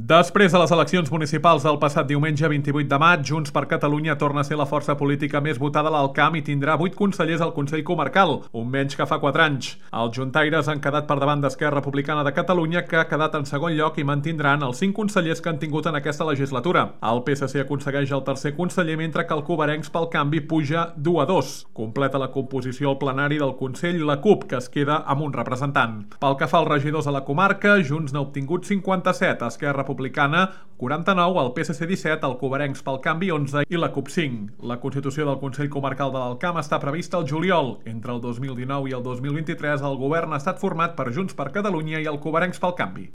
Després de les eleccions municipals del passat diumenge 28 de maig, Junts per Catalunya torna a ser la força política més votada a l'Alt Camp i tindrà 8 consellers al Consell Comarcal, un menys que fa 4 anys. Els juntaires han quedat per davant d'Esquerra Republicana de Catalunya, que ha quedat en segon lloc, i mantindran els 5 consellers que han tingut en aquesta legislatura. El PSC aconsegueix el tercer conseller, mentre que el Coverencs pel Canvi puja 2 a 2. Completa la composició al plenari del Consell la CUP, que es queda amb un representant. Pel que fa als regidors a la comarca, Junts n'ha obtingut 57, Esquerra Republicana 49, el PSC 17, el Coverencs pel Canvi 11 i la CUP 5. La constitució del Consell Comarcal de l'Alt Camp està prevista al juliol. Entre el 2019 i el 2023 el govern ha estat format per Junts per Catalunya i el Coverencs pel Canvi.